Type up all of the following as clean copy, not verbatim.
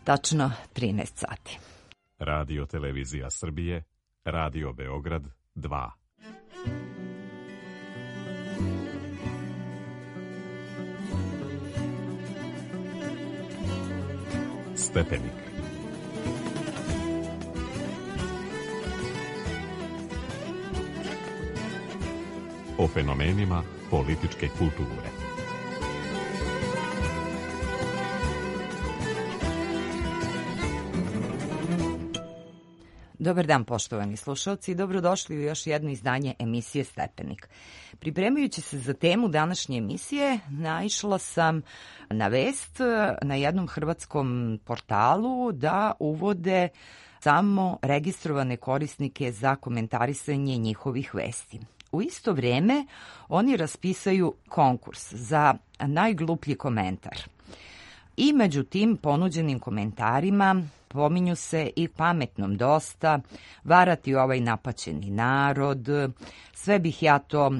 Tačno 13 sati. Radio Televizija Srbije, Radio Beograd 2. Stepenik. O fenomenima političke kulture. Dobar dan, poštovani slušalci, i dobrodošli u još jedno izdanje emisije Stepenik. Pripremajući se za temu današnje emisije, naišla sam na vest na jednom hrvatskom portalu da uvode samo registrovane korisnike za komentarisanje njihovih vesti. U isto vreme oni raspisaju konkurs za najgluplji komentar. I među tim ponuđenim komentarima pominju se i pametnom dosta, varati ovaj napaćeni narod, sve bih ja to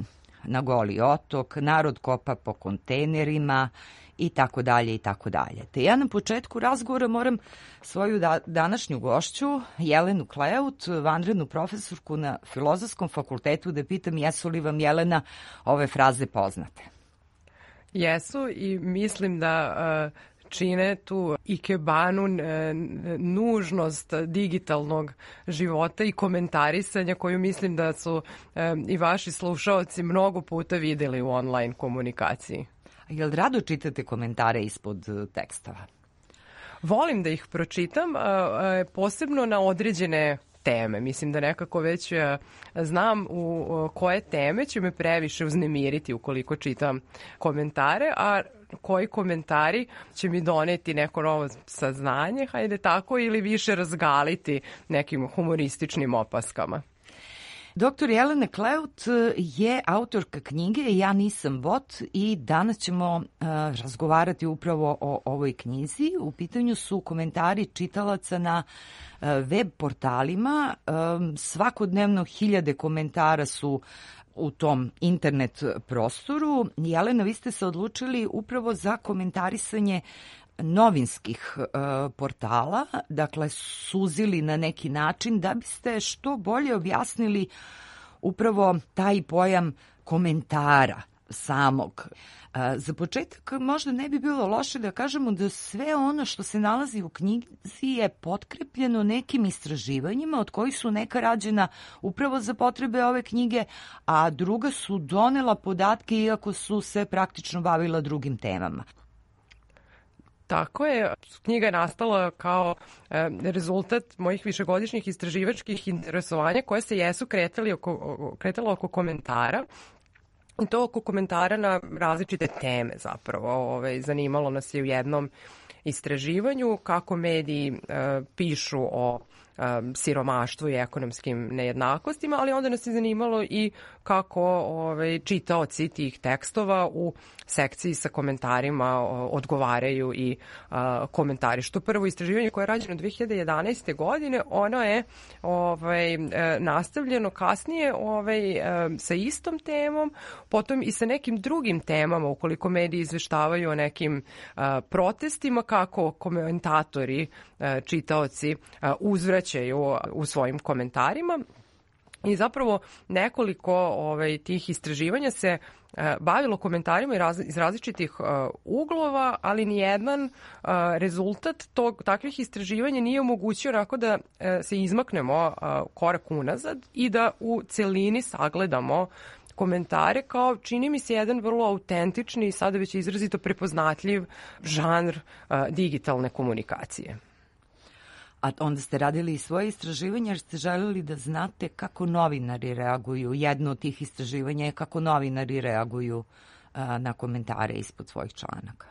na Goli otok, narod kopa po kontejnerima i tako dalje i tako dalje. Te ja na početku razgovora moram svoju današnju gošću, Jelenu Kleut, vanrednu profesorku na Filozofskom fakultetu, da pitam jesu li vam, Jelena, ove fraze poznate? Jesu i mislim da čine tu ikebanu nužnost digitalnog života i komentarisanja koju mislim da su i vaši slušaoci mnogo puta videli u online komunikaciji. Jel rado čitate komentare ispod tekstova? Volim da ih pročitam, posebno na određene teme. Mislim da nekako već znam u koje teme će me previše uznemiriti ukoliko čitam komentare, a koji komentari će mi doneti neko novo saznanje, hajde tako, ili više razgaliti nekim humorističnim opaskama. Dr. Jelena Kleut je autorka knjige Ja nisam bot i danas ćemo razgovarati upravo o ovoj knjizi. U pitanju su komentari čitalaca na web portalima. Svakodnevno hiljade komentara su u tom internet prostoru. Jelena, vi ste se odlučili upravo za komentarisanje novinskih portala, dakle suzili na neki način da biste što bolje objasnili upravo taj pojam komentara samog. Za početak možda ne bi bilo loše da kažemo da sve ono što se nalazi u knjizi je potkrepljeno nekim istraživanjima od kojih su neka rađena upravo za potrebe ove knjige, a druga su donela podatke iako su se praktično bavila drugim temama. Tako je. Knjiga je nastala kao rezultat mojih višegodišnjih istraživačkih interesovanja koje se jesu kretala oko komentara. I to oko komentara na različite teme zapravo. Zanimalo nas je u jednom istraživanju kako mediji pišu o siromaštvu i ekonomskim nejednakostima, ali onda nas je zanimalo i kako čitaoci tih tekstova u sekciji sa komentarima odgovaraju i komentarišu. To prvo istraživanje koje je rađeno 2011. godine, ono je nastavljeno kasnije sa istom temom, potom i sa nekim drugim temama, ukoliko mediji izveštavaju o nekim protestima, kako komentatori, čitaoci uzvraćaju u svojim komentarima. I zapravo nekoliko tih istraživanja se bavilo komentarima iz različitih uglova, ali nijedan rezultat takvih istraživanja nije omogućio onako da se izmaknemo korak unazad i da u celini sagledamo komentare kao, čini mi se, jedan vrlo autentični i sada već izrazito prepoznatljiv žanr digitalne komunikacije. A onda ste radili i svoje istraživanje jer ste želeli da znate kako novinari reaguju. Jedno od tih istraživanja je kako novinari reaguju na komentare ispod svojih članaka.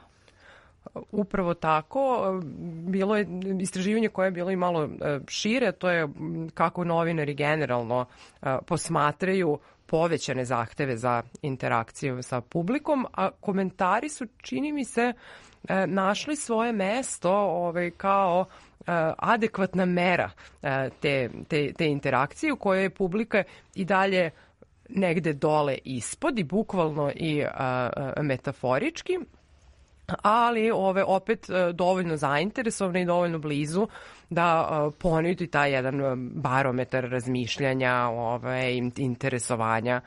Upravo tako. Bilo je istraživanje koje je bilo i malo šire, to je kako novinari generalno posmatraju povećane zahteve za interakciju sa publikom, a komentari su, čini mi se, našli svoje mesto kao adekvatna mera te interakcije u kojoj je publika i dalje negde dole ispod i bukvalno i metaforički. ali opet dovoljno zainteresovana i dovoljno blizu da ponudi taj jedan barometar razmišljanja, interesovanja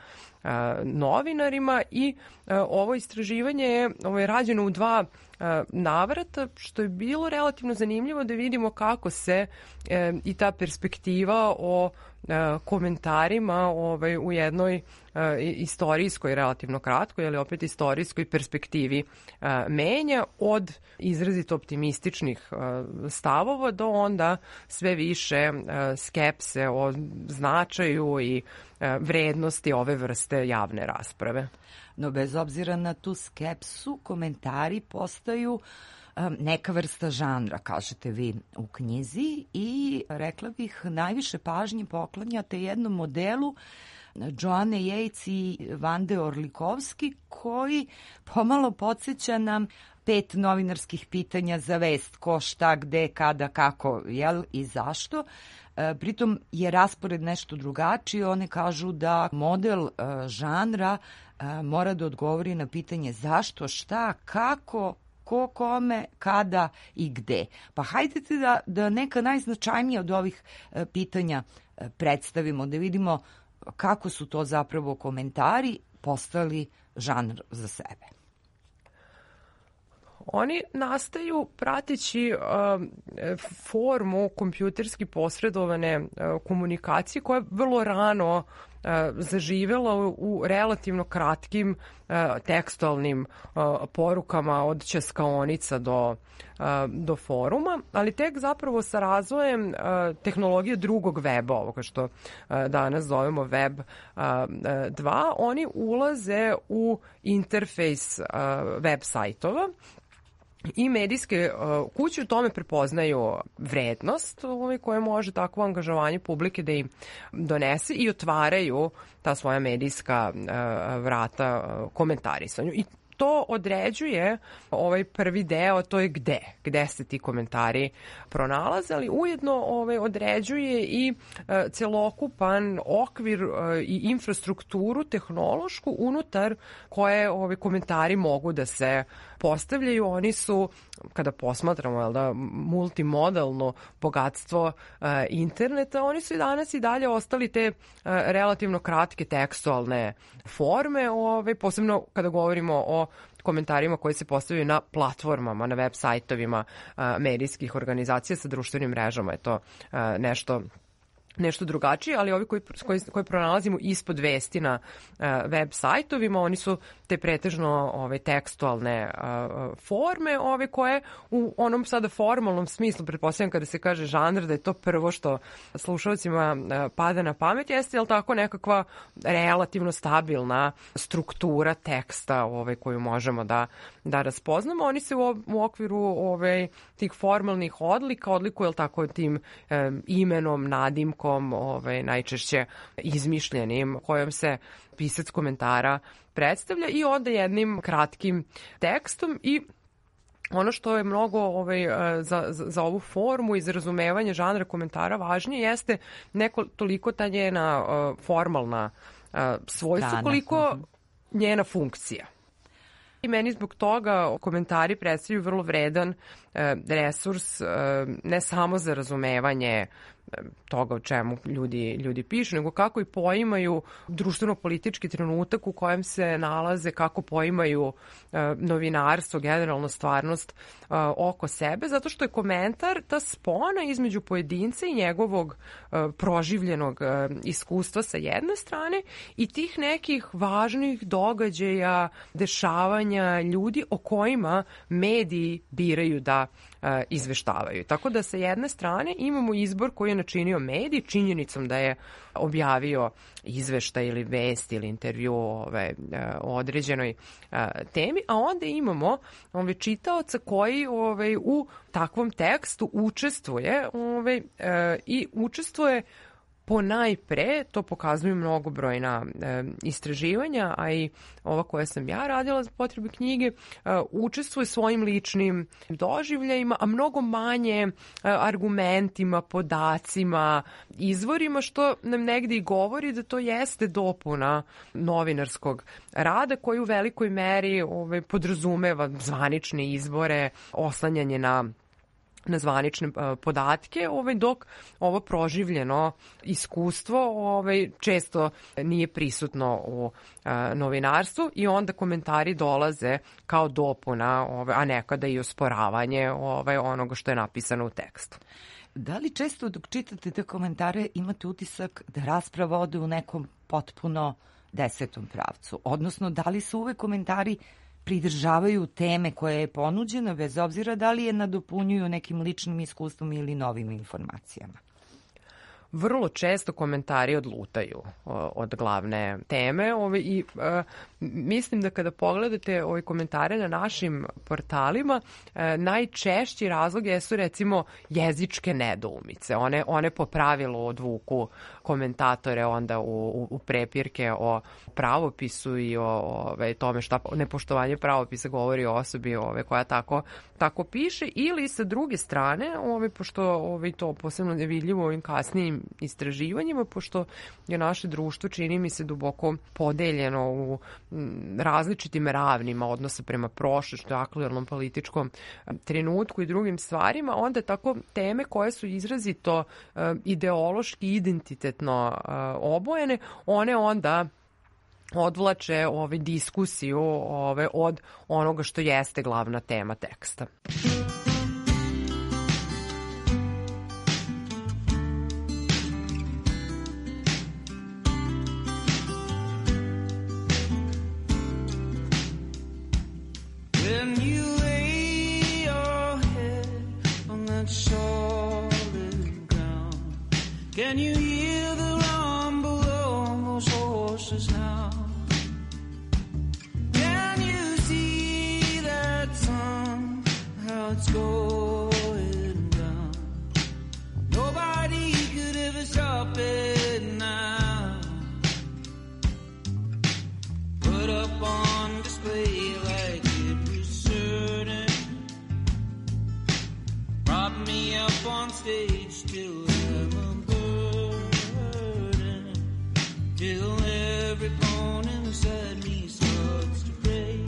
novinarima. I ovo istraživanje je rađeno u 2 navrata, što je bilo relativno zanimljivo da vidimo kako se i ta perspektiva o komentarima u jednoj istorijskoj, relativno kratkoj, ali opet istorijskoj perspektivi menja od izrazito optimističnih stavova do onda sve više skepse o značaju i vrednosti ove vrste javne rasprave. No bez obzira na tu skepsu, komentari postaju neka vrsta žanra, kažete vi u knjizi, i rekla bih najviše pažnje poklanjate jednom modelu Joanne Yates i Vande Orlikovski, koji pomalo podsjeća nam 5 novinarskih pitanja za vest: ko, šta, gde, kada, kako, jel i zašto. Pritom je raspored nešto drugačiji. One kažu da model žanra mora da odgovori na pitanje zašto, šta, kako, ko, kome, kada i gde. Pa hajdete da neka najznačajnija od ovih pitanja predstavimo, da vidimo kako su to zapravo komentari postali žanr za sebe. Oni nastaju prateći formu kompjuterski posredovane komunikacije koja je vrlo rano zaživela u relativno kratkim tekstualnim porukama od ćaskaonica do foruma, ali tek zapravo sa razvojem tehnologije drugog weba, ovoga što danas zovemo web 2, oni ulaze u interfejs web sajtova i medijske kuće u tome prepoznaju vrednost koje može takvo angažovanje publike da im donese i otvaraju ta svoja medijska vrata komentarisanju. I to određuje ovaj prvi deo, to je gde se ti komentari pronalaze, ali ujedno određuje i celokupan okvir i infrastrukturu tehnološku unutar koje komentari mogu da se postavljaju. Oni su, kada posmatramo multimodalno bogatstvo interneta, oni su i danas i dalje ostali te relativno kratke tekstualne forme, posebno kada govorimo o komentarima koji se postavljaju na platformama, na web sajtovima medijskih organizacija. Sa društvenim mrežama je to nešto drugačije, ali ovi koje pronalazimo ispod vesti na web sajtovima, oni su te pretežno tekstualne forme, koje u onom sada formalnom smislu, pretpostavljam kada se kaže žanr, da je to prvo što slušalcima pada na pamet, jeste tako nekakva relativno stabilna struktura teksta koju možemo da raspoznamo. Oni se u okviru tih formalnih odlika odlikuju tako tim imenom, nadimkom, najčešće izmišljenim, kojom se pisac komentara predstavlja, i onda jednim kratkim tekstom. I ono što je mnogo za ovu formu i za razumevanje žanra komentara važnije jeste neko toliko ta njena formalna svojstva, koliko njena funkcija. I meni zbog toga komentari predstavljaju vrlo vredan resurs, ne samo za razumevanje toga o čemu ljudi pišu, nego kako i poimaju društveno-politički trenutak u kojem se nalaze, kako poimaju novinarstvo, generalno stvarnost oko sebe, zato što je komentar ta spona između pojedinca i njegovog proživljenog iskustva sa jedne strane i tih nekih važnih događaja, dešavanja ljudi o kojima mediji biraju da izveštavaju. Tako da sa jedne strane imamo izbor koji je načinio medij činjenicom da je objavio izveštaj ili vest ili intervju o određenoj temi, a onda imamo čitaoca koji u takvom tekstu učestvuje i učestvuje Ponajpre, to pokazuju mnogobrojna istraživanja, a i ova koja sam ja radila za potrebe knjige, učestvuje svojim ličnim doživljajima, a mnogo manje argumentima, podacima, izvorima, što nam negdje i govori da to jeste dopuna novinarskog rada koji u velikoj meri podrazumeva zvanične izbore, oslanjanje na zvanične podatke, dok ovo proživljeno iskustvo često nije prisutno u novinarstvu i onda komentari dolaze kao dopuna, a nekada i osporavanje onoga što je napisano u tekstu. Da li često dok čitate te komentare imate utisak da rasprava ode u nekom potpuno desetom pravcu? Odnosno, da li su uvek komentari pridržavaju teme koja je ponuđena, bez obzira da li je nadopunjuju nekim ličnim iskustvom ili novim informacijama? Vrlo često komentari odlutaju od glavne teme i mislim da kada pogledate ove komentare na našim portalima, najčešći razlog jesu recimo jezičke nedoumice. One po pravilu odvuku komentatore onda u prepirke o pravopisu i o tome šta nepoštovanje pravopisa govori o osobi koja tako piše, ili sa druge strane, pošto to posebno je vidljivo u ovim kasnijim istraživanjima, pošto je naše društvo, čini mi se, duboko podeljeno u različitim ravnima odnosa prema prošlošću, aktuelnom političkom trenutku i drugim stvarima, onda tako teme koje su izrazito ideološki, identitetno obojene, one onda odvlače diskusiju od onoga što jeste glavna tema teksta. Can you hear the rumble of those horses now? Can you see that sun, how it's going down? Nobody could ever stop it now. Put up on display like it was certain. Prop me up on stage till till every bone inside me starts to break.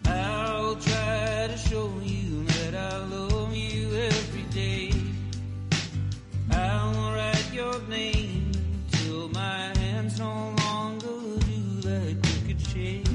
I'll try to show you that I love you every day. I'll write your name till my hands no longer do that crooked shake.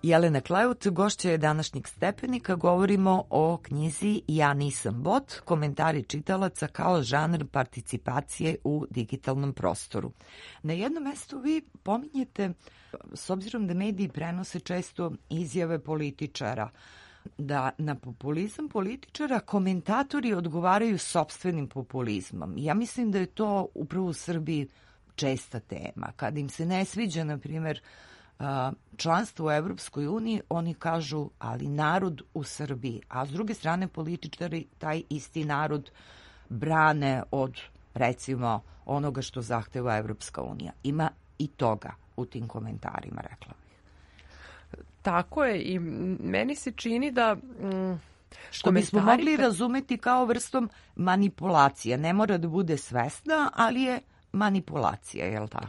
Jelena Kleut, gošća je današnjeg Stepenika. Govorimo o knjizi Ja nisam bot, komentari čitalaca kao žanr participacije u digitalnom prostoru. Na jednom mestu vi pominjete, s obzirom da mediji prenose često izjave političara, da na populizam političara komentatori odgovaraju sopstvenim populizmom. Ja mislim da je to upravo u Srbiji česta tema. Kad im se ne sviđa, na primjer, članstvo u Evropskoj uniji, oni kažu, ali narod u Srbiji. A s druge strane, političari taj isti narod brane od, recimo, onoga što zahteva Evropska unija. Ima i toga u tim komentarima, rekla bih. Tako je, i meni se čini da... Što bismo mogli razumeti kao vrstom manipulacije. Ne mora da bude svesna, ali je manipulacija, je li tako?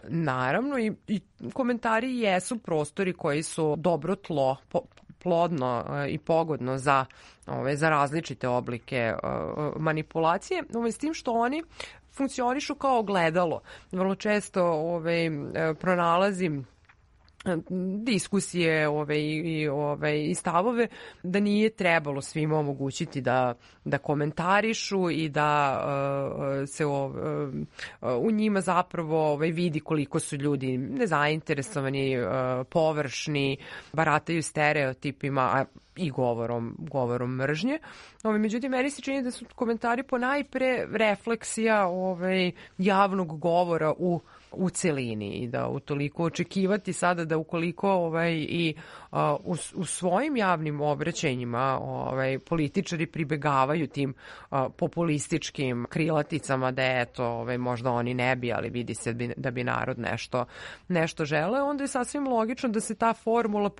Naravno, i komentari jesu prostori koji su dobro tlo, plodno i pogodno za različite oblike manipulacije, s tim što oni funkcionišu kao ogledalo. Vrlo često pronalazim diskusije i stavove da nije trebalo svima omogućiti da komentarišu i da se u njima zapravo vidi koliko su ljudi nezainteresovani, površni, barataju stereotipima i govorom mržnje. Međutim, meni se čini da su komentari ponajpre refleksija javnog govora u celini i da utoliko očekivati sada da ukoliko u svojim javnim obraćanjima političari pribegavaju tim populističkim krilaticama da možda oni ne bi, ali vidi se da bi narod nešto žele, onda je sasvim logično da se ta formula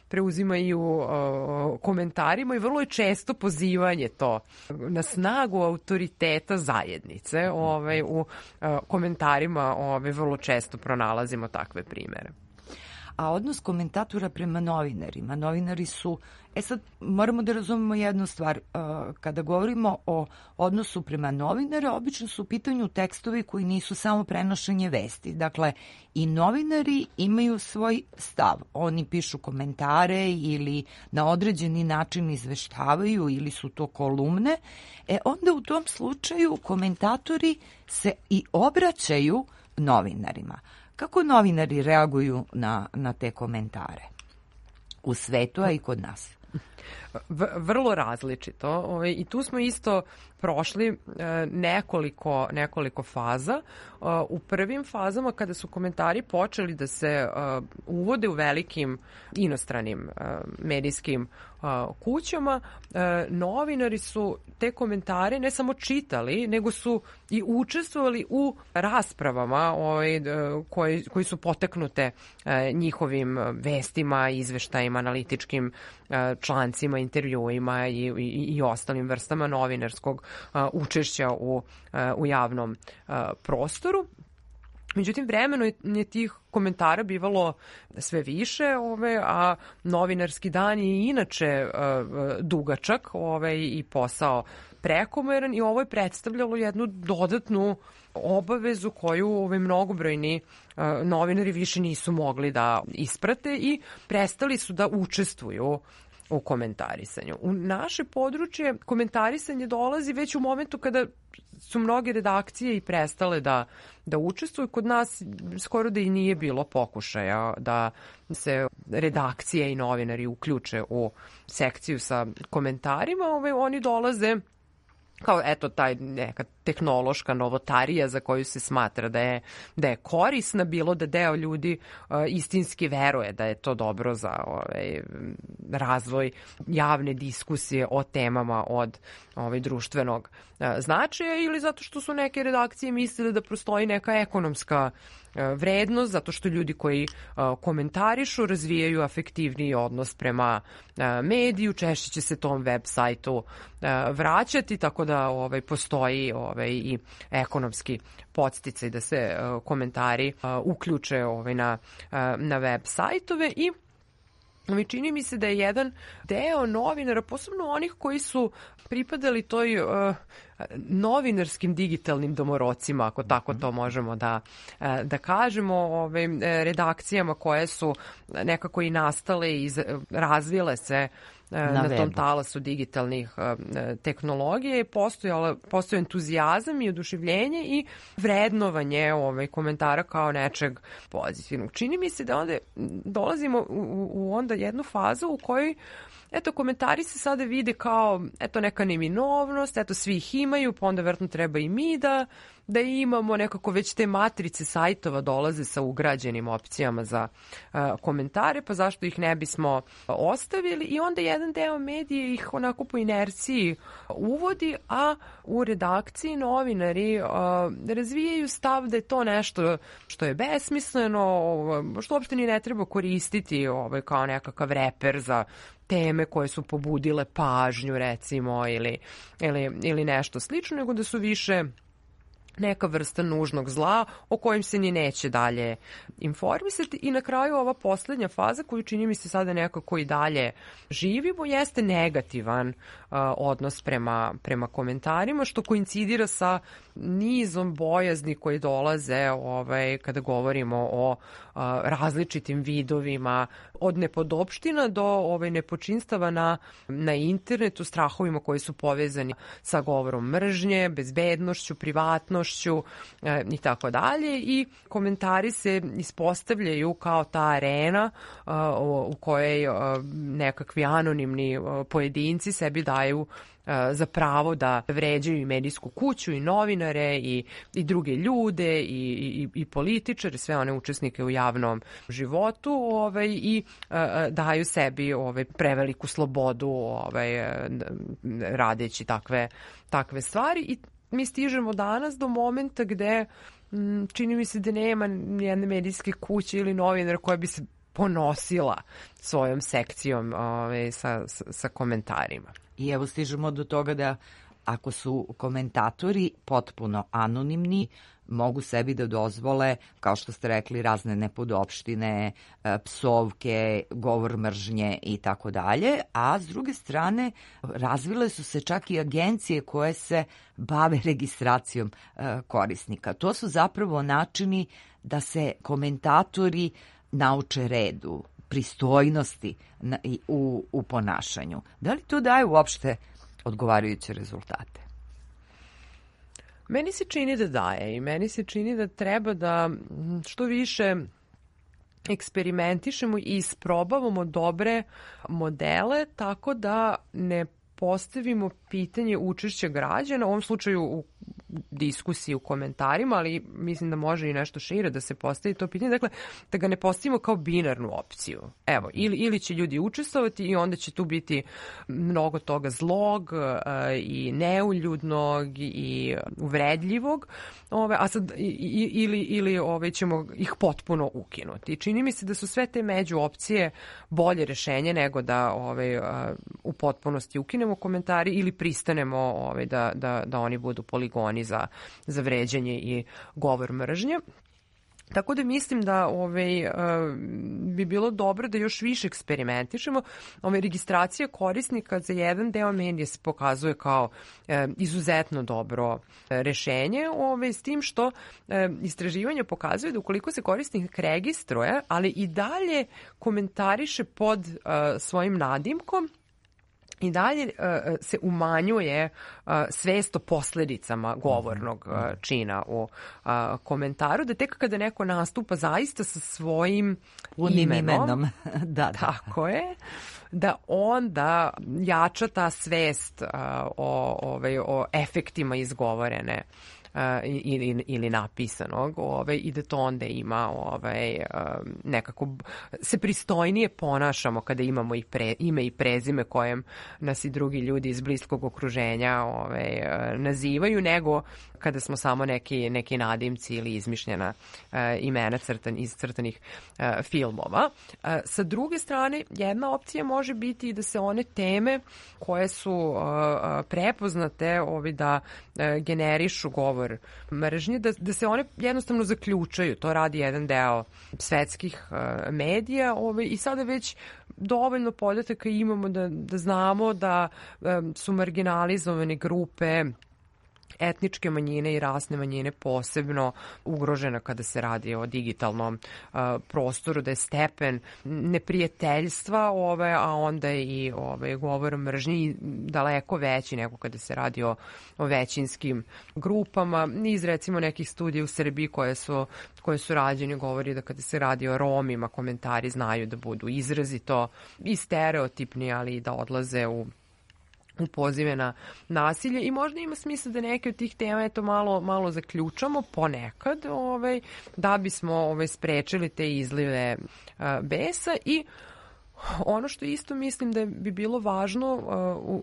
preuzima i u komentarima i vrlo je često pozivanje to na snagu autoriteta zajednice. U komentarima vrlo često pronalazimo takve primere. A odnos komentatora prema novinarima. Novinari su... sad moramo da razumemo jednu stvar. Kada govorimo o odnosu prema novinara, obično su u pitanju tekstovi koji nisu samo prenošenje vesti. Dakle, i novinari imaju svoj stav. Oni pišu komentare ili na određeni način izveštavaju ili su to kolumne. Onda u tom slučaju komentatori se i obraćaju novinarima. Kako novinari reaguju na te komentare u svetu, a i kod nas? Vrlo različito. I tu smo isto prošli nekoliko faza. U prvim fazama kada su komentari počeli da se uvode u velikim inostranim medijskim kućama, novinari su te komentare ne samo čitali, nego su i učestvovali u raspravama koji su poteknute njihovim vestima, izveštajima, analitičkim člancima, intervjuima i ostalim vrstama novinarskog učešća u javnom prostoru. Međutim, vremeno je tih komentara bivalo sve više, a novinarski dan je inače dugačak i posao prekomeran i ovo je predstavljalo jednu dodatnu obavezu koju mnogobrojni novinari više nisu mogli da isprate i prestali su da učestvuju u komentarisanju. U naše područje komentarisanje dolazi već u momentu kada su mnoge redakcije i prestale da učestvuju. Kod nas skoro da i nije bilo pokušaja da se redakcije i novinari uključe u sekciju sa komentarima. Oni dolaze kao taj neka tehnološka novotarija za koju se smatra da je korisna, bilo da deo ljudi istinski veruje da je to dobro za razvoj javne diskusije o temama od društvenog značaja ili zato što su neke redakcije mislile da postoji neka ekonomska vrednost, zato što ljudi koji komentarišu razvijaju afektivniji odnos prema mediju, češće će se tom web sajtu vraćati, tako da postoji i ekonomski podsticaj da se komentari uključe na web sajtove i Čini mi se da je jedan deo novinara, posebno onih koji su pripadali toj novinarskim digitalnim domorocima, ako tako to možemo da kažemo, redakcijama koje su nekako i nastale i razvile se na tom talasu digitalnih tehnologija je postojao entuzijazam i oduševljenje i vrednovanje komentara kao nečeg pozitivnog. Čini mi se da onda dolazimo u onda jednu fazu u kojoj komentari se sada vide kao neka neminovnost, svi ih imaju, pa onda verovatno treba i mi da imamo nekako već te matrice sajtova dolaze sa ugrađenim opcijama za komentare, pa zašto ih ne bismo ostavili i onda jedan deo medije ih onako po inerciji uvodi, a u redakciji novinari razvijaju stav da je to nešto što je besmisleno, što uopšte ni ne treba koristiti kao nekakav reper za teme koje su pobudile pažnju recimo ili nešto slično, nego da su više neka vrsta nužnog zla o kojem se ni neće dalje informisati. I na kraju ova poslednja faza koju čini mi se sada nekako i dalje živimo jeste negativan odnos prema komentarima, što koincidira sa nizom bojazni koji dolaze kada govorimo o različitim vidovima od nepodopština do nepočinstava na internetu, strahovima koji su povezani sa govorom mržnje, bezbednošću, privatnošću i tako dalje. I komentari se ispostavljaju kao ta arena u kojoj nekakvi anonimni pojedinci sebi daju za pravo da vređaju i medijsku kuću i novinare i druge ljude i političare, sve one učesnike u javnom životu i daju sebi preveliku slobodu radeći takve stvari. I mi stižemo danas do momenta gde čini mi se da nema nijedne medijske kuće ili novinara koja bi se ponosila svojom sekcijom sa komentarima. I evo stižemo do toga da ako su komentatori potpuno anonimni, mogu sebi da dozvole, kao što ste rekli, razne nepodopštine, psovke, govor mržnje i tako dalje, a s druge strane razvile su se čak i agencije koje se bave registracijom korisnika. To su zapravo načini da se komentatori nauče redu, pristojnosti u ponašanju. Da li to daje uopšte odgovarajuće rezultate? Meni se čini da daje i meni se čini da treba da što više eksperimentišemo i isprobavamo dobre modele tako da ne postavimo pitanje učešća građana, u ovom slučaju u diskusiji, u komentarima, ali mislim da može i nešto šire da se postavi to pitanje. Dakle, da ga ne postavimo kao binarnu opciju. Evo, ili će ljudi učestvovati i onda će tu biti mnogo toga zlog i neuljudnog i uvredljivog, a sad ili ćemo ih potpuno ukinuti. Čini mi se da su sve te među opcije bolje rešenje nego da u potpunosti ukinemo komentari ili pristanemo da oni budu poligoni za vređanje i govor mržnje. Tako da mislim da bi bilo dobro da još više eksperimentišemo. Registracija korisnika za jedan deo medija se pokazuje kao izuzetno dobro rešenje, s tim što istraživanje pokazuje da ukoliko se korisnik registruje, ali i dalje komentariše pod svojim nadimkom, i dalje se umanjuje svest o posledicama govornog čina u komentaru, da tek kada neko nastupa zaista sa svojim imenom, da. Tako je, da onda jača ta svest o efektima izgovorene ili napisanog i da to onda ima nekako se pristojnije ponašamo kada imamo ime i prezime kojem nas i drugi ljudi iz bliskog okruženja nazivaju, nego kada smo samo neki nadimci ili izmišljena imena iz crtanih filmova. Sa druge strane, jedna opcija može biti i da se one teme koje su prepoznate da generišu govor mržnje, da se one jednostavno zaključaju. To radi jedan deo svetskih medija i sada već dovoljno podataka imamo da znamo da su marginalizovane grupe, etničke manjine i rasne manjine posebno ugrožena kada se radi o digitalnom prostoru, da je stepen neprijateljstva a onda i govor mržnji daleko veći nego kada se radi o većinskim grupama. Iz recimo nekih studija u Srbiji koje su rađene govori da kada se radi o Romima komentari znaju da budu izrazito i stereotipni, ali i da odlaze u pozive na nasilje i možda ima smisla da neke od tih tema malo zaključamo ponekad da bismo sprečili te izlive besa. I ono što isto mislim da bi bilo važno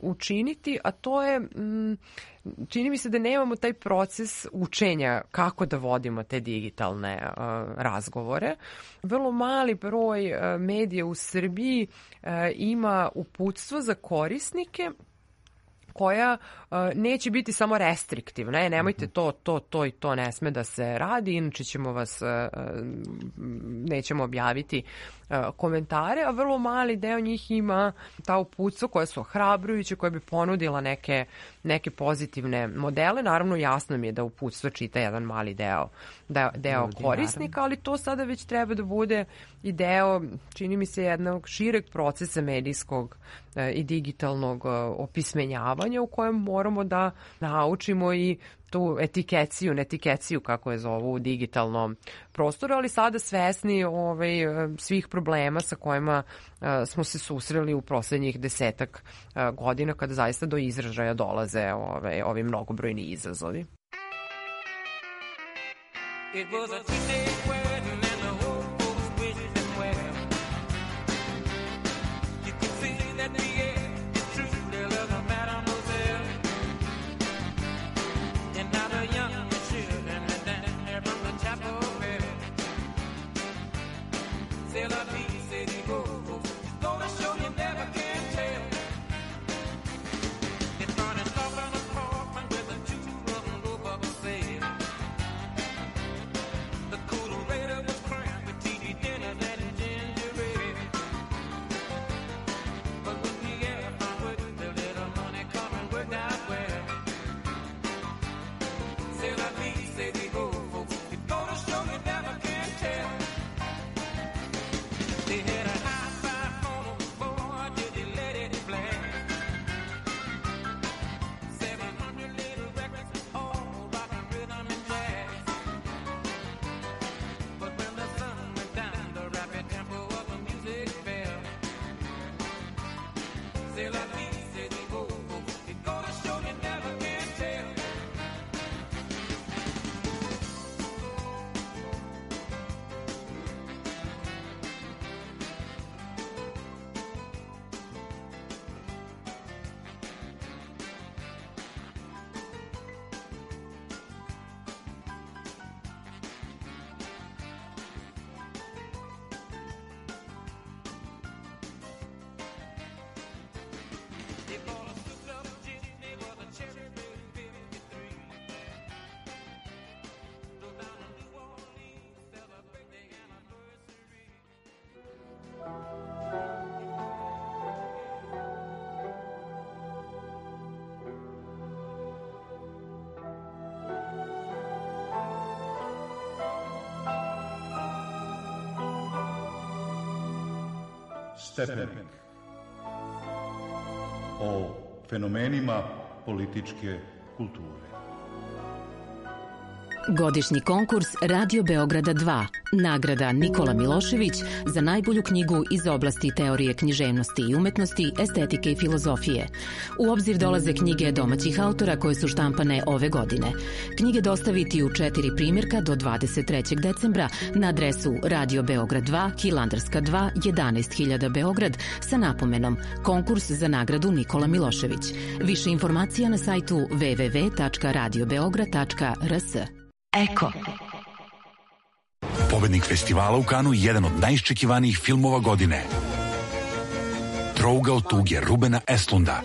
učiniti, a to je, čini mi se da nemamo taj proces učenja kako da vodimo te digitalne razgovore. Vrlo mali broj medija u Srbiji ima uputstvo za korisnike koja neće biti samo restriktivna. Nemojte to i to ne sme da se radi, inače ćemo nećemo objaviti komentare, a vrlo mali deo njih ima ta uputstva koja su ohrabrujuće, koja bi ponudila neke pozitivne modele. Naravno, jasno mi je da uputstvo čita jedan mali deo korisnika, ali to sada već treba da bude i deo, čini mi se, jednog šireg procesa medijskog i digitalnog opismenjavanja u kojem moramo da naučimo i tu netikeciju, kako je zovu u digitalnom prostoru, ali sada svesni svih problema sa kojima smo se susreli u poslednjih 10 godina, kada zaista do izražaja dolaze ovi mnogobrojni izazovi. It was a two-day wedding and the whole folks wished them well. You can see that the air is true, there was a mademoiselle. And now the young children are down there from the chapel bell. C'est la vie, c'est the go-go, gonna show you never can tell. It's burning soft on the apartment with the two of them go up a sail. The coolerator was crammed with TV dinners and ginger ale. But when the air found with the little money coming worked out well. C'est la vie, c'est the go-go, it's gonna show you never can tell. They had a high five phone, boy, did they let it blast. 700 little records, all rock and rhythm and jazz. But when the sun went down, the rapid tempo of the music fell. C'est la vie, c'est the go-go, it's gonna show you never can tell. They bought a souped-up gin, they bought a cherry red 53. Go down to New Orleans, celebrate their anniversary. Stepenik. O fenomenima političke kulture. Godišnji konkurs Radio Beograda 2. Nagrada Nikola Milošević za najbolju knjigu iz oblasti teorije književnosti i umetnosti, estetike i filozofije. U obzir dolaze knjige domaćih autora koje su štampane ove godine. Knjige dostaviti u 4 primjerka do 23. decembra na adresu Radio Beograd 2, Hilandarska 2, 11.000 Beograd sa napomenom Konkurs za nagradu Nikola Milošević. Više informacija na sajtu www.radiobeograd.rs. Eko. Pobednik festivala u Kanu je jedan od najiščekivanijih filmova godine. Trougao tuge Rubena Estlunda.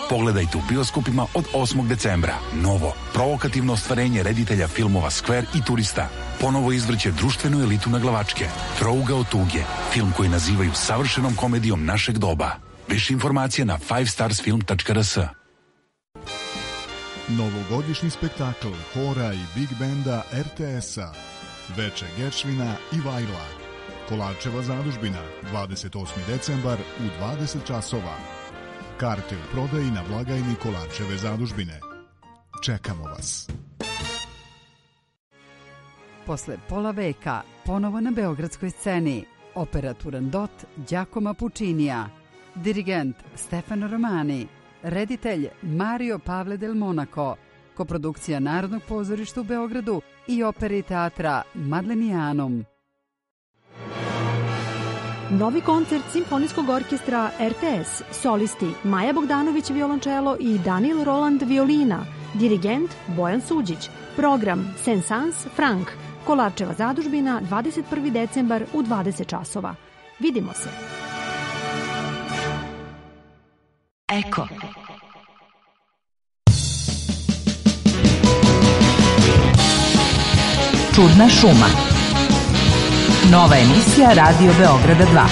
Pogledajte u bioskopima od 8. decembra. Novo, provokativno ostvarenje reditelja filmova Skver i Turista. Ponovo izvrće društvenu elitu na glavačke. Trouga od tuge, film koji nazivaju savršenom komedijom našeg doba. Više informacija na 5starsfilm.rs. Novogodišnji spektakl hora i big benda RTS-a. Veče Geršvina i Vajla. Kolarčeva zadužbina, 28. decembar u 20 časova. Karte u prodaji na blagajni Kolarčeve zadužbine. Čekamo vas. Posle pola veka, ponovo na beogradskoj sceni, opera Turandot Giacomo Puccinija, dirigent Stefano Romani, reditelj Mario Pavle del Monaco, koprodukcija Narodnog pozorišta u Beogradu i opere i teatra Madlenianum. Novi koncert Simfonijskog orkestra RTS, solisti Maja Bogdanović violončelo i Daniel Roland violina, dirigent Bojan Suđić, program Saint-Saëns Frank, Kolarčeva zadužbina, 21. decembar u 20 časova. Vidimo se. Eko. Čudna šuma. Nova emisija Radio Beograda 2.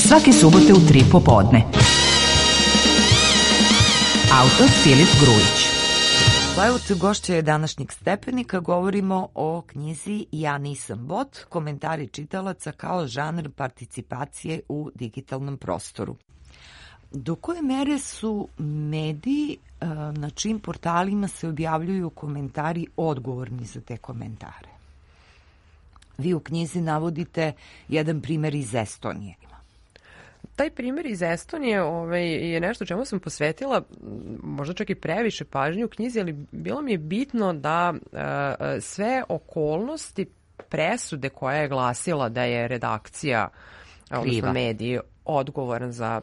Svake subote u 3 popodne. Autor Filip Grujić. Lajout gošća je današnjeg Stepenika. Govorimo o knjizi Ja nisam bot, komentari čitalaca kao žanr participacije u digitalnom prostoru. Do koje mere su mediji na čijim portalima se objavljuju komentari odgovorni za te komentare? Vi u knjizi navodite jedan primer iz Estonije. Taj primjer iz Estonije je nešto čemu sam posvetila možda čak i previše pažnje u knjizi, ali bilo mi je bitno da sve okolnosti presude koja je glasila da je redakcija, odnosno mediji, odgovoran za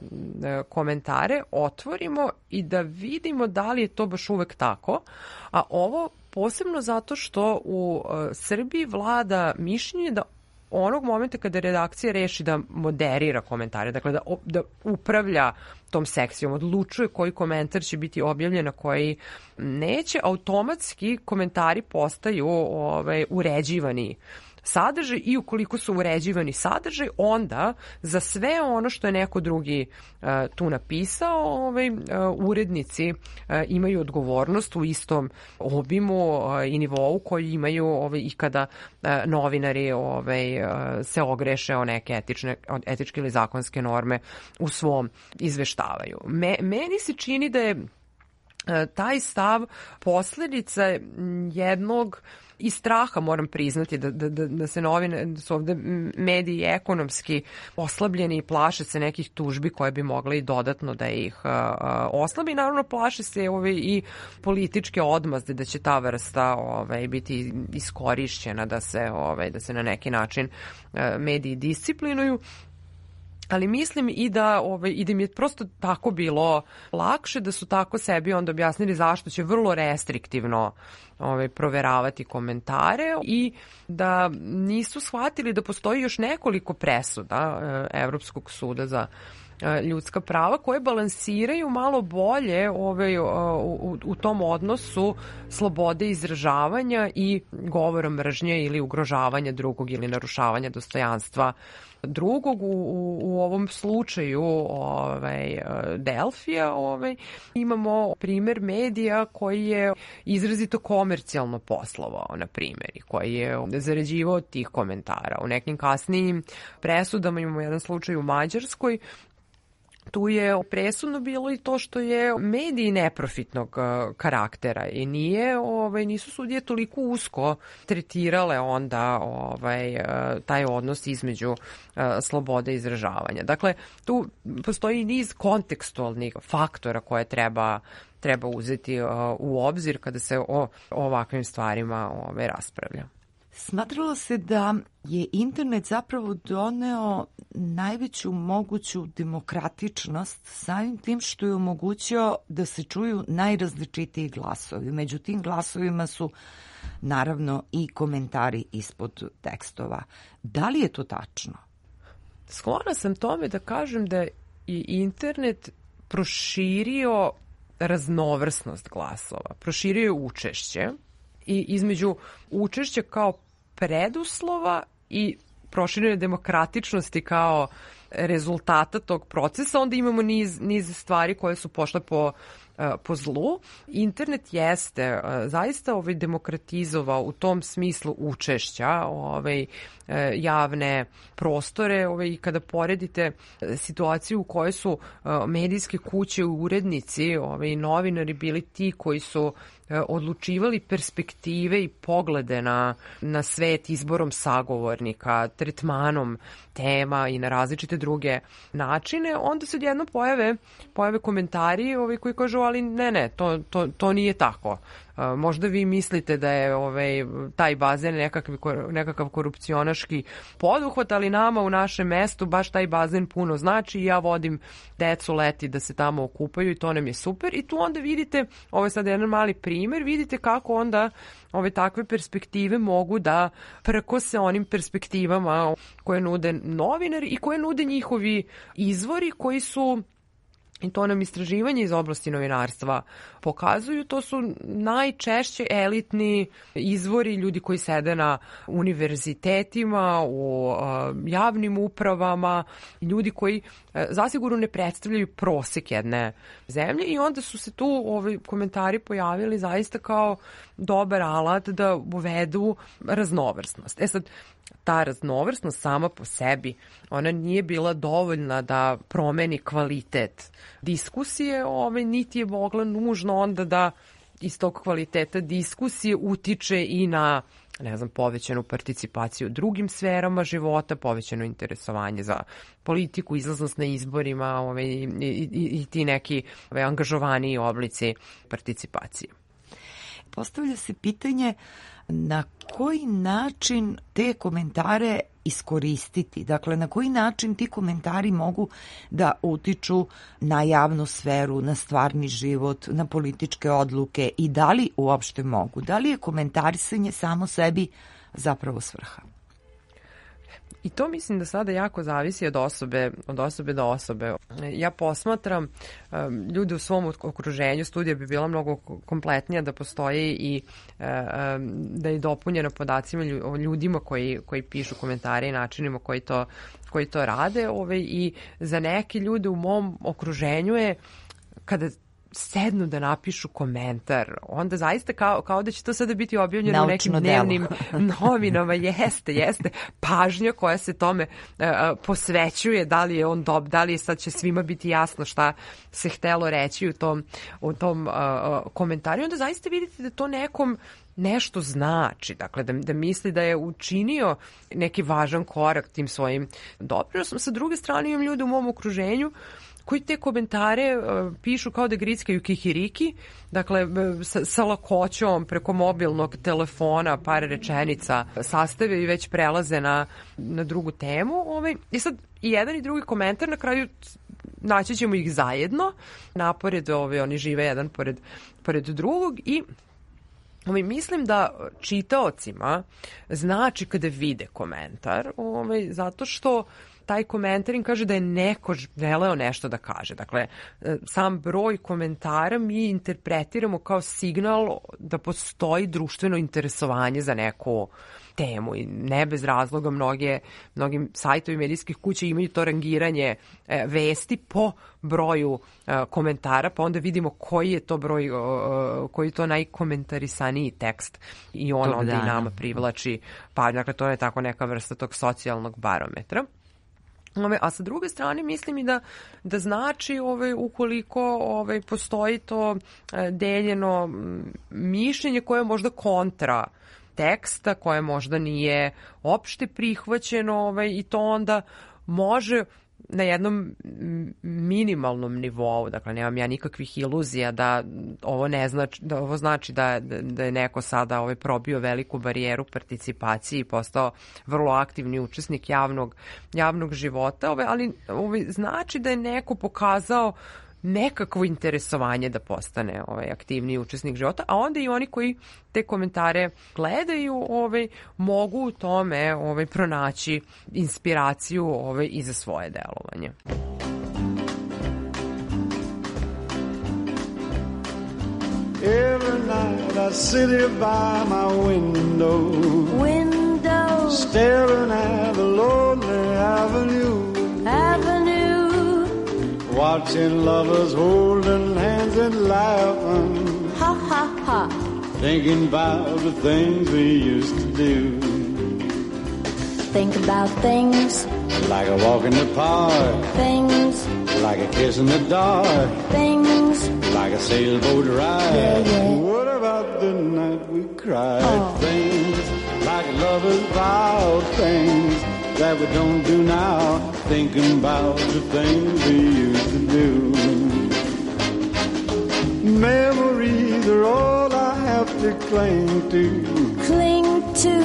komentare, otvorimo i da vidimo da li je to baš uvek tako. A ovo posebno zato što u Srbiji vlada mišljenje da onog momenta kada redakcija reši da moderira komentare, dakle da upravlja tom sekcijom, odlučuje koji komentar će biti objavljen, a koji neće, automatski komentari postaju uređivani sadržaj i ukoliko su uređivani sadržaj, onda za sve ono što je neko drugi tu napisao, urednici imaju odgovornost u istom obimu i nivou koji imaju i kada novinari se ogreše o neke etičke ili zakonske norme u svom izveštavaju. Meni se čini da je taj stav posledica jednog i straha, moram priznati, da su ovde mediji ekonomski oslabljeni i plaše se nekih tužbi koje bi mogle i dodatno da ih oslabi. Naravno, plaše se i političke odmazde da će ta vrsta biti iskorišćena, da se na neki način mediji disciplinuju. Ali mislim i da im je prosto tako bilo lakše, da su tako sebi onda objasnili zašto će vrlo restriktivno proveravati komentare i da nisu shvatili da postoji još nekoliko presuda Evropskog suda za ljudska prava koje balansiraju malo bolje u tom odnosu slobode izražavanja i govora mržnje ili ugrožavanja drugog ili narušavanja dostojanstva drugog. U ovom slučaju Delfija imamo primer medija koji je izrazito komercijalno poslovao, na primjer, i koji je zarađivao od tih komentara. U nekim kasnijim presudama imamo jedan slučaj u Mađarskoj. Tu je presudno bilo i to što je mediji neprofitnog karaktera i nisu sudije toliko usko tretirale onda taj odnos između slobode izražavanja. Dakle, tu postoji niz kontekstualnih faktora koje treba uzeti u obzir kada se o ovakvim stvarima raspravlja. Smatralo se da je internet zapravo doneo najveću moguću demokratičnost samim tim što je omogućio da se čuju najrazličitiji glasovi. Među tim glasovima su naravno i komentari ispod tekstova. Da li je to tačno? Sklona sam tome da kažem da je i internet proširio raznovrsnost glasova, proširio je učešće i između učešća kao preduslova i proširene demokratičnosti kao rezultata tog procesa, onda imamo niz stvari koje su pošle po zlu. Internet jeste zaista demokratizovao u tom smislu učešća javne prostore i kada poredite situaciju u kojoj su medijske kuće, urednici, novinari bili ti koji su odlučivali perspektive i poglede na svet izborom sagovornika, tretmanom tema i na različite druge načine, onda se odjednom pojave komentari koji kažu ali ne, to nije tako. Možda vi mislite da je taj bazen nekakav korupcionaški poduhvat, ali nama u našem mestu baš taj bazen puno znači i ja vodim decu leti da se tamo okupaju i to nam je super. I tu onda vidite, ovo je sad jedan mali primer, vidite kako onda takve perspektive mogu da prkose onim perspektivama koje nude novinari i koje nude njihovi izvori koji su, i to nam istraživanje iz oblasti novinarstva pokazuju, to su najčešće elitni izvori, ljudi koji sede na univerzitetima, u javnim upravama, ljudi koji zasigurno ne predstavljaju prosek jedne zemlje i onda su se tu komentari pojavili zaista kao dobar alat da uvedu raznovrsnost. Sad, ta raznovrsnost sama po sebi, ona nije bila dovoljna da promeni kvalitet diskusije, niti je mogla nužno onda da iz tog kvaliteta diskusije utiče i na, povećanu participaciju u drugim sferama života, povećano interesovanje za politiku, izlaznost na izborima i ti neki angažovaniji oblici participacije. Postavlja se pitanje na koji način te komentare iskoristiti? Dakle, na koji način ti komentari mogu da utiču na javnu sferu, na stvarni život, na političke odluke i da li uopšte mogu? Da li je komentarisanje samo sebi zapravo svrha? I to mislim da sada jako zavisi od osobe do osobe. Ja posmatram ljude u svom okruženju, studija bi bila mnogo kompletnija da postoji i da je dopunjena podacima o ljudima koji pišu komentare i načinima koji to rade. I za neke ljude u mom okruženju je kada sednu da napišu komentar, onda zaista kao da će to sada biti objavljeno u nekim dnevnim novinama. Jeste. Pažnja koja se tome posvećuje, da li je on da li je sad će svima biti jasno šta se htelo reći u tom komentaru. Onda zaista vidite da to nekom nešto znači, dakle da misli da je učinio neki važan korak tim svojim doprinosom. Sa druge strane imam ljude u mom okruženju koji te komentare pišu kao da grickaju kikiriki, dakle sa lakoćom preko mobilnog telefona par rečenica sastave i već prelaze na drugu temu. I sad i jedan i drugi komentar na kraju naći ćemo ih zajedno, napored oni žive jedan pored drugog i mislim da čitaocima znači kada vide komentar, zato što taj komentar im kaže da je neko želeo nešto da kaže. Dakle, sam broj komentara mi interpretiramo kao signal da postoji društveno interesovanje za neku temu i ne bez razloga mnogi sajtovi medijskih kuća imaju to rangiranje vesti po broju komentara, pa onda vidimo koji je to broj, koji je to najkomentarisaniji tekst i on onda i nama privlači. Pa, dakle, to je tako neka vrsta tog socijalnog barometra. A sa druge strane mislim i da znači ukoliko postoji to deljeno mišljenje koje je možda kontra teksta, koje možda nije opšte prihvaćeno i to onda može na jednom minimalnom nivou, dakle nemam ja nikakvih iluzija da ovo ne znači da ovo znači da je neko sada probio veliku barijeru participacije i postao vrlo aktivni učesnik javnog života, ali znači da je neko pokazao nekakvo interesovanje da postane aktivniji učesnik života, a onda i oni koji te komentare gledaju mogu u tome pronaći inspiraciju i za svoje delovanje. Every night I sit here by my window, staring at the lonely avenue, watching lovers holding hands and laughing, ha ha ha, thinking about the things we used to do. Think about things like a walk in the park, things like a kiss in the dark, things like a sailboat ride. Yeah, yeah. What about the night we cried? Things like lovers vow, things that we don't do now, thinking about the things we used to do. Memories are all I have to cling to,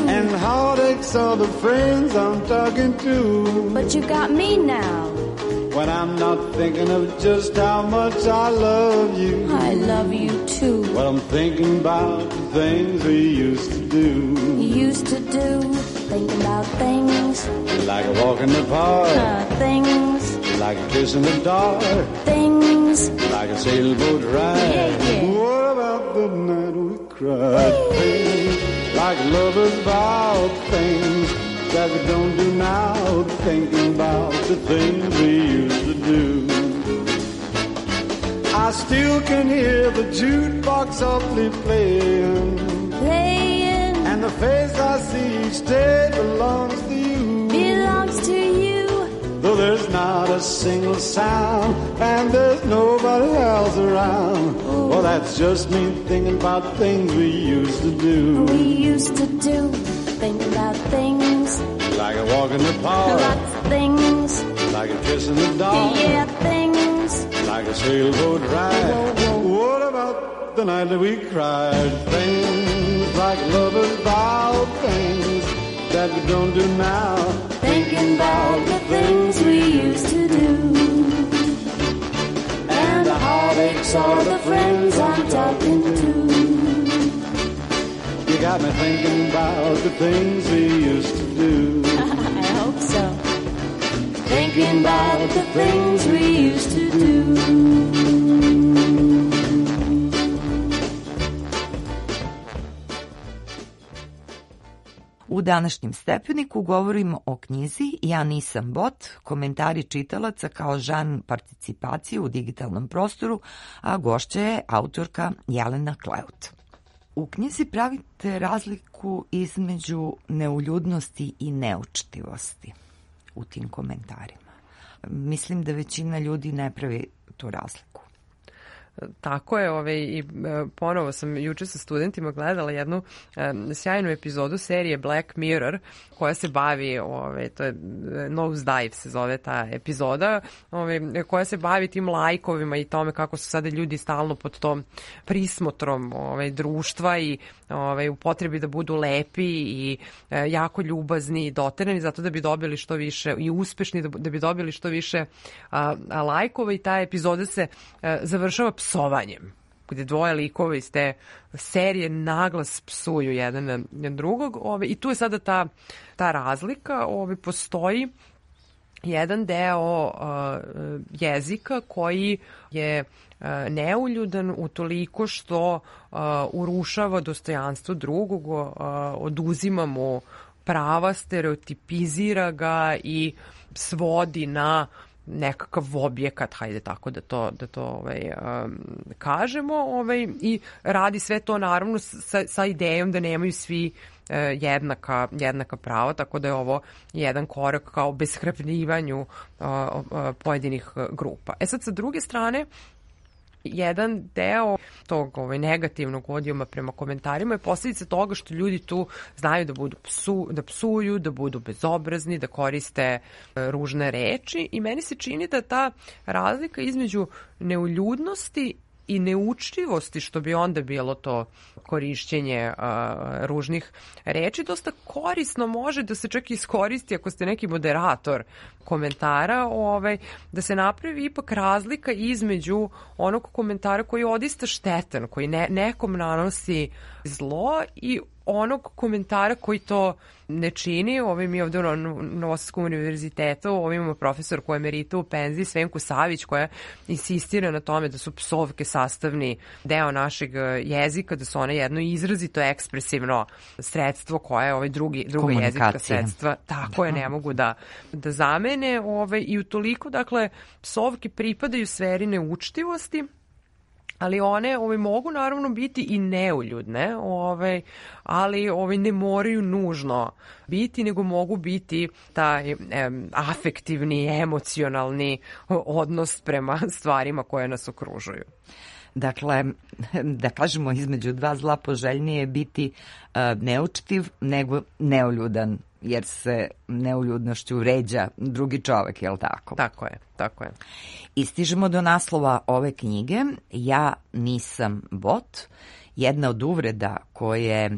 and heartaches are the friends I'm talking to. But you got me now. When I'm not thinking of just how much I love you. I love you too. Well, I'm thinking about the things we used to do. Thinking about things like a walk in the park, things like a kiss in the dark, things like a sailboat ride. Yeah, yeah. What about the night we cried? Things like lovers vow, things that we don't do now, thinking about the things we used to do. I still can hear the jukebox softly playing, and the face I see each day belongs to you. Though there's not a single sound and there's nobody else around. Well, that's just me thinking about things we used to do. Thinking about things like a walk in the park, lots of things like a kiss in the dark, yeah, things like a sailboat ride. Whoa, whoa. What about the night that we cried? Things like lovers vow, things that we don't do now, thinking about the things we used to do. And the heartaches are the friends I'm talking to. You got me thinking about the things we used to do. I hope so. Thinking about the things we used to do. U današnjem stepeniku govorimo o knjizi Ja nisam bot, komentari čitalaca kao žan participacije u digitalnom prostoru, a gošća je autorka Jelena Kleut. U knjizi pravite razliku između neuljudnosti i neučtivosti u tim komentarima. Mislim da većina ljudi ne pravi tu razliku. Tako je, i ponovo sam juče sa studentima gledala jednu sjajnu epizodu serije Black Mirror koja se bavi, to je Nose Dive se zove ta epizoda, koja se bavi tim lajkovima i tome kako su sada ljudi stalno pod tom prismotrom društva i u potrebi da budu lepi i jako ljubazni i doterani zato da bi dobili što više i uspešni da bi dobili što više lajkova i ta epizoda se završava psovanjem, gde dvoje likova iz te serije naglas psuju jedan na drugog i tu je sada ta razlika. Postoji jedan deo jezika koji je neuljudan utoliko što urušava dostojanstvo drugog, oduzima mu prava, stereotipizira ga i svodi na nekakav objekat, hajde tako da to kažemo, i radi sve to naravno sa idejom da nemaju svi jednaka prava, tako da je ovo jedan korak kao obeshrabrivanju pojedinih grupa. Sad, sa druge strane, jedan deo tog negativnog odijuma prema komentarima je posljedica toga što ljudi tu znaju da psuju, da budu bezobrazni, da koriste ružne reči i meni se čini da ta razlika između neuljudnosti i neučljivosti, što bi onda bilo to korišćenje ružnih reči, dosta korisno može da se čak iskoristi ako ste neki moderator komentara, da se napravi ipak razlika između onog komentara koji je odista štetan, koji nekom nanosi zlo i onog komentara koji to ne čini. Mi ovde na Novosadskom univerzitetu imamo profesorku emeritu u penziji Svenku Savić, koja insistira na tome da su psovke sastavni deo našeg jezika, da su one jedno izrazito ekspresivno sredstvo koje druga jezička sredstva tako je ne mogu da zamene. I utoliko, dakle, psovke pripadaju sferi neučtivosti, ali one mogu naravno biti i neuljudne, ali ne moraju nužno biti, nego mogu biti taj afektivni, emocionalni odnos prema stvarima koje nas okružuju. Dakle, da kažemo, između dva zla poželjnije je biti neučtiv nego neuljudan, jer se neuljudnošću vređa drugi čovek, je li tako? Tako je. I stižemo do naslova ove knjige, Ja nisam bot. Jedna od uvreda koje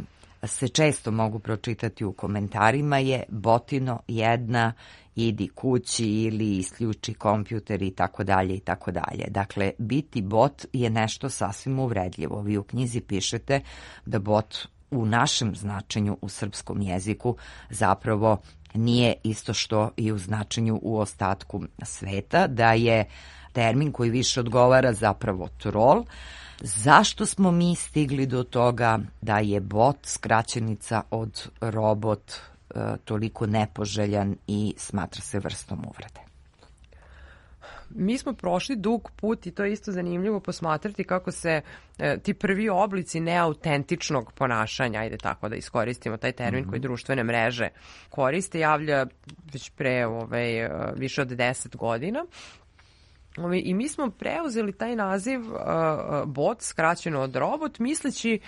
se često mogu pročitati u komentarima je botino jedna, idi kući ili isključi kompjuter i tako dalje i tako dalje. Dakle, biti bot je nešto sasvim uvredljivo. Vi u knjizi pišete da bot u našem značenju u srpskom jeziku zapravo nije isto što i u značenju u ostatku sveta, da je termin koji više odgovara zapravo trol. Zašto smo mi stigli do toga da je bot skraćenica od robot toliko nepoželjan i smatra se vrstom uvrede? Mi smo prošli dug put i to je isto zanimljivo posmatrati kako se ti prvi oblici neautentičnog ponašanja, ajde tako da iskoristimo taj termin koji društvene mreže koriste, javlja već pre više od 10 godina. I mi smo preuzeli taj naziv bot, skraćeno od robot, misleći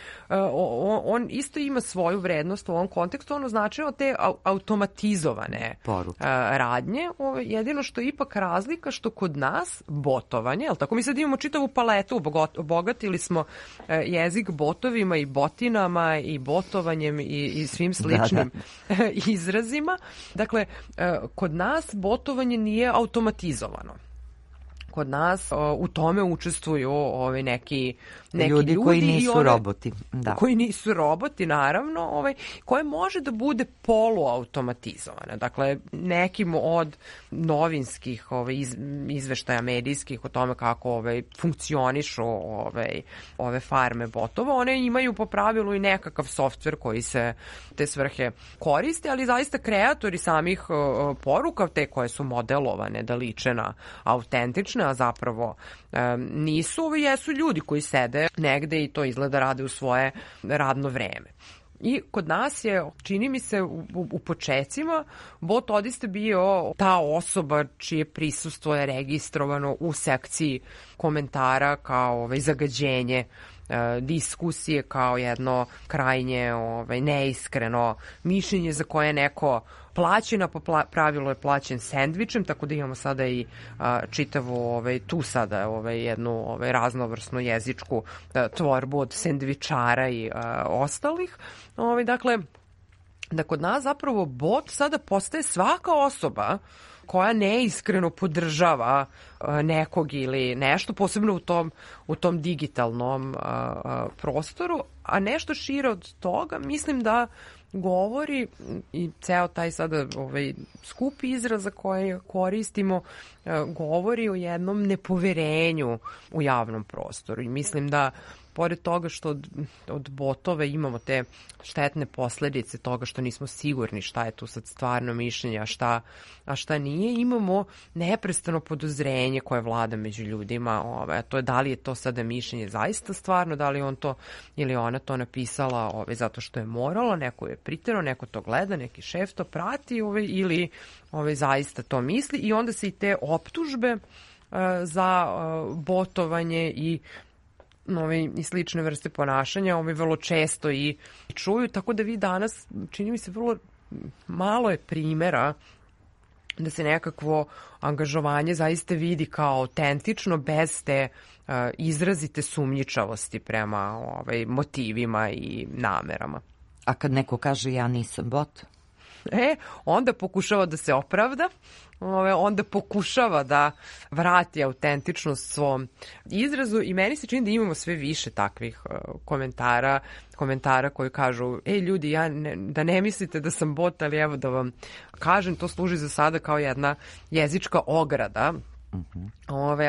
on isto ima svoju vrednost u ovom kontekstu, ono značilo te automatizovane radnje. Jedino što je ipak razlika što kod nas botovanje, jel tako, mi sad imamo čitavu paletu, obogatili smo jezik botovima i botinama i botovanjem i svim sličnim izrazima. Dakle, kod nas botovanje nije automatizovano. Kod nas u tome učestvuju neki ljudi koji nisu roboti. Da. Koji nisu roboti, naravno, koje može da bude poluautomatizovane. Dakle, nekim od novinskih izveštaja medijskih o tome kako funkcionišu ove farme botova, one imaju po pravilu i nekakav softver koji se te svrhe koriste, ali zaista kreatori samih poruka, te koje su modelovane da liče na autentične, a zapravo nisu, jesu ljudi koji sede negde i to izgleda rade u svoje radno vreme. I kod nas je, čini mi se, u počecima bot odista bio ta osoba čije prisustvo je registrovano u sekciji komentara kao zagađenje diskusije, kao jedno krajnje neiskreno mišljenje za koje neko plaćena, po pravilu je plaćen sendvičem, tako da imamo sada i čitavu tu sada jednu raznovrsnu jezičku tvorbu od sendvičara i ostalih. Dakle, da kod nas zapravo bot sada postaje svaka osoba koja neiskreno podržava nekog ili nešto, posebno u tom digitalnom prostoru, a nešto šire od toga, mislim da govori i ceo taj sada skup izraza koje koristimo govori o jednom nepoverenju u javnom prostoru i mislim da pored toga što od botova imamo te štetne posledice toga što nismo sigurni šta je tu sad stvarno mišljenje, a šta nije, imamo neprestano podozrenje koje vlada među ljudima, a to je da li je to sada mišljenje zaista stvarno, da li on to ili ona to napisala zato što je morala, neko je priterao, neko to gleda, neki šef to prati ili zaista to misli i onda se i te optužbe za botovanje i slične vrste ponašanja vrlo često i čuju, tako da vi danas, čini mi se, vrlo malo je primjera da se nekakvo angažovanje zaista vidi kao autentično bez te izrazite sumnjičavosti prema motivima i namerama. A kad neko kaže ja nisam bot? Onda pokušava da se opravda, onda pokušava da vrati autentičnost svom izrazu i meni se čini da imamo sve više takvih komentara koji kažu ljudi, da ne mislite da sam bot, ali evo da vam kažem, to služi za sada kao jedna jezička ograda.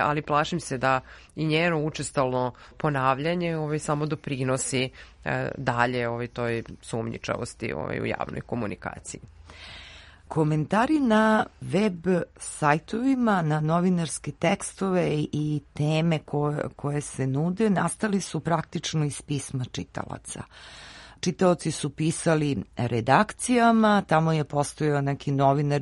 Ali plašim se da i njeno učestalno ponavljanje samo doprinosi dalje toj sumnjičavosti u javnoj komunikaciji. Komentari na web sajtovima, na novinarske tekstove i teme koje se nude nastali su praktično iz pisma čitalaca. Čitaoci su pisali redakcijama, tamo je postojao neki novinar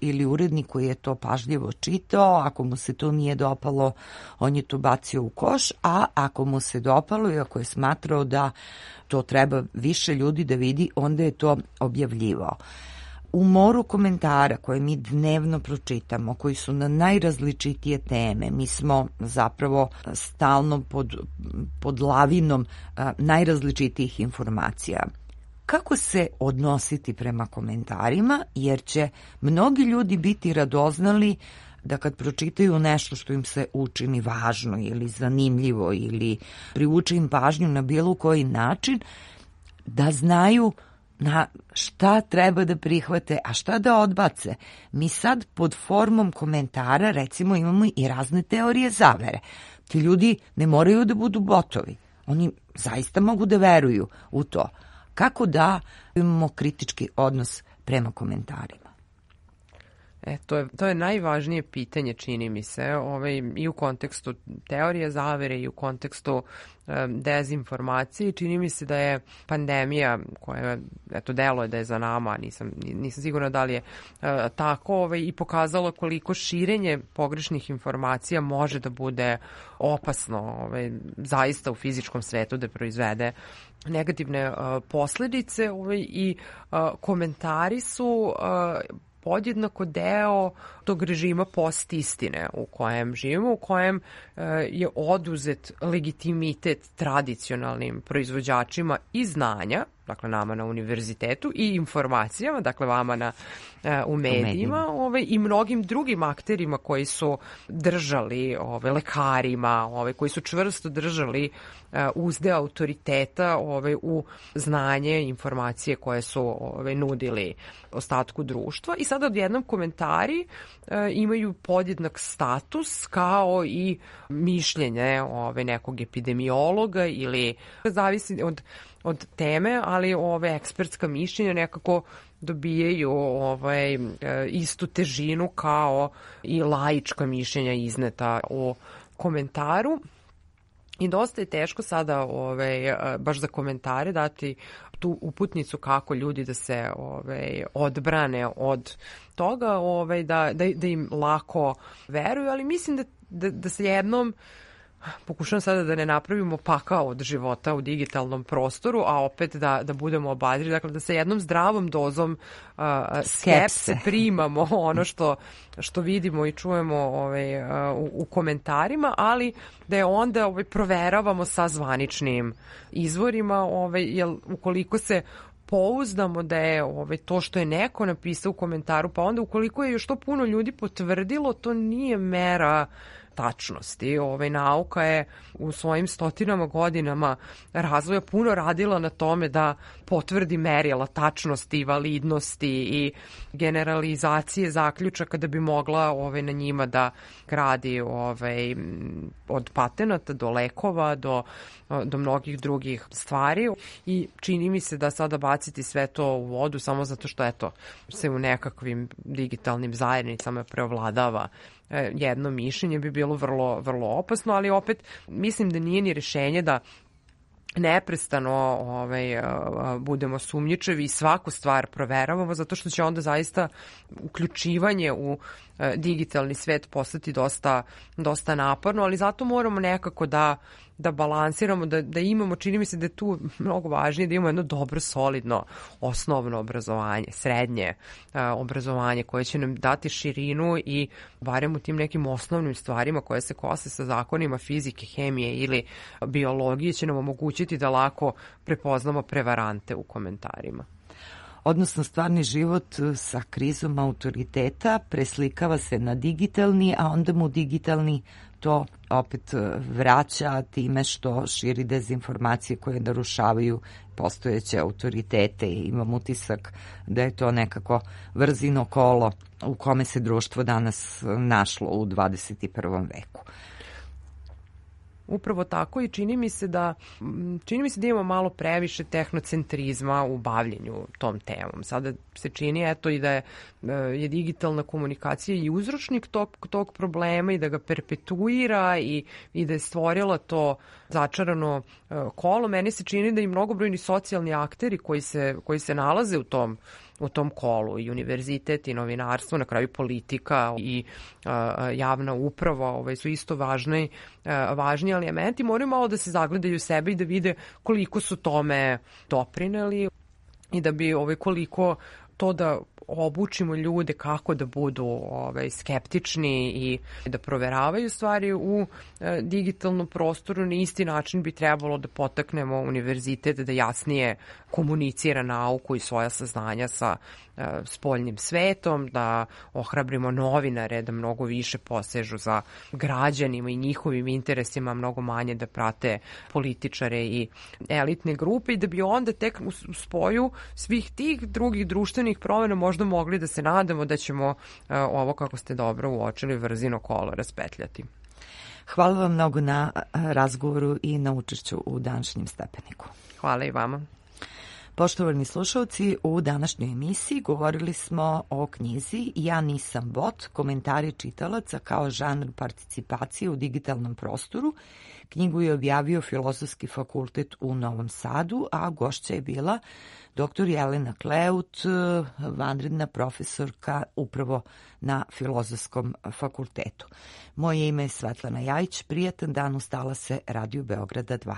ili urednik koji je to pažljivo čitao, ako mu se to nije dopalo, on je to bacio u koš, a ako mu se dopalo i ako je smatrao da to treba više ljudi da vidi, onda je to objavljivao. U moru komentara koje mi dnevno pročitamo, koji su na najrazličitije teme, mi smo zapravo stalno pod lavinom najrazličitijih informacija. Kako se odnositi prema komentarima, jer će mnogi ljudi biti radoznali da kad pročitaju nešto što im se učini važno ili zanimljivo ili privuče im pažnju na bilo koji način, da znaju na šta treba da prihvate, a šta da odbace. Mi sad pod formom komentara recimo imamo i razne teorije zavere. Ti ljudi ne moraju da budu botovi. Oni zaista mogu da veruju u to. Kako da imamo kritički odnos prema komentarima? To je najvažnije pitanje, čini mi se, i u kontekstu teorije zavere i u kontekstu dezinformacije. Čini mi se da je pandemija koja, deluje da je za nama, nisam sigurna da li je tako, i pokazala koliko širenje pogrešnih informacija može da bude opasno, zaista u fizičkom svetu da proizvede negativne posledice, i komentari su podjednako deo tog režima postistine u kojem živimo, u kojem je oduzet legitimitet tradicionalnim proizvođačima i znanja, dakle nama na univerzitetu, i informacijama, dakle vama u medijima, i mnogim drugim akterima koji su držali, lekarima, koji su čvrsto držali uzde autoriteta u znanje, informacije koje su nudili ostatku društva. I sada odjednom komentari imaju podjednak status kao i mišljenje nekog epidemiologa ili zavisi od teme, ali ekspertska mišljenja nekako dobijaju istu težinu kao i laička mišljenja izneta u komentaru. I dosta je teško sada baš za komentare dati tu uputnicu kako ljudi da se odbrane od toga, da im lako veruju, ali mislim da se jednom pokušam sada da ne napravimo pakao od života u digitalnom prostoru, a opet da budemo obadri, dakle da sa jednom zdravom dozom skepse primamo ono što vidimo i čujemo u komentarima, ali da je onda proveravamo sa zvaničnim izvorima, jer ukoliko se pouzdamo da je to što je neko napisao u komentaru, pa onda ukoliko je još to puno ljudi potvrdilo, to nije mera tačnosti. Nauka je u svojim stotinama godinama razvoja puno radila na tome da potvrdi merila tačnosti, validnosti i generalizacije zaključaka da bi mogla na njima da gradi od patenata do lekova do mnogih drugih stvari. I čini mi se da sada baciti sve to u vodu samo zato što se u nekakvim digitalnim zajednicama preovladava jedno mišljenje bi bilo vrlo, vrlo opasno, ali opet mislim da nije ni rešenje da neprestano budemo sumnjičevi i svaku stvar proveravamo, zato što će onda zaista uključivanje u digitalni svet postati dosta naporno, ali zato moramo nekako da balansiramo, da imamo, čini mi se da je tu mnogo važnije da imamo jedno dobro, solidno, osnovno obrazovanje, srednje obrazovanje koje će nam dati širinu i barem u tim nekim osnovnim stvarima koje se kose sa zakonima fizike, hemije ili biologije će nam omogućiti da lako prepoznamo prevarante u komentarima. Odnosno, stvarni život sa krizom autoriteta preslikava se na digitalni, a onda mu digitalni to opet vraća time što širi dezinformacije koje narušavaju postojeće autoritete i imam utisak da je to nekako vrzino kolo u kome se društvo danas našlo u 21. veku. Upravo tako i čini mi se da imamo malo previše tehnocentrizma u bavljenju tom temom. Sada se čini i da je digitalna komunikacija i uzročnik tog problema i da ga perpetuira i da je stvorila to začarano kolo. Meni se čini da i mnogobrojni socijalni akteri koji se nalaze u tom kolu, i univerzitet i novinarstvo, na kraju politika i javna uprava su isto važni elementi, moraju malo da se zagledaju sebe i da vide koliko su tome doprineli i da bi koliko to da obučimo ljude kako da budu skeptični i da proveravaju stvari u digitalnom prostoru. Na isti način bi trebalo da potaknemo univerzitet da jasnije komunicira nauku i svoja saznanja sa spoljnim svetom, da ohrabrimo novinare da mnogo više posežu za građanima i njihovim interesima, mnogo manje da prate političare i elitne grupe i da bi onda tek u spoju svih tih drugih društvenih promjena možda mogli da se nadamo da ćemo ovo, kako ste dobro uočili, vrzino kolo raspetljati. Hvala vam mnogo na razgovoru i na učešću u današnjem Stepeniku. Hvala i vama. Poštovani slušalci, u današnjoj emisiji govorili smo o knjizi Ja nisam bot, komentari čitalaca kao žanr participacije u digitalnom prostoru. Knjigu je objavio Filozofski fakultet u Novom Sadu, a gošća je bila dr. Jelena Kleut, vanredna profesorka upravo na Filozofskom fakultetu. Moje ime je Svetlana Jajić, prijatan dan, ustala se Radio Beograda 2.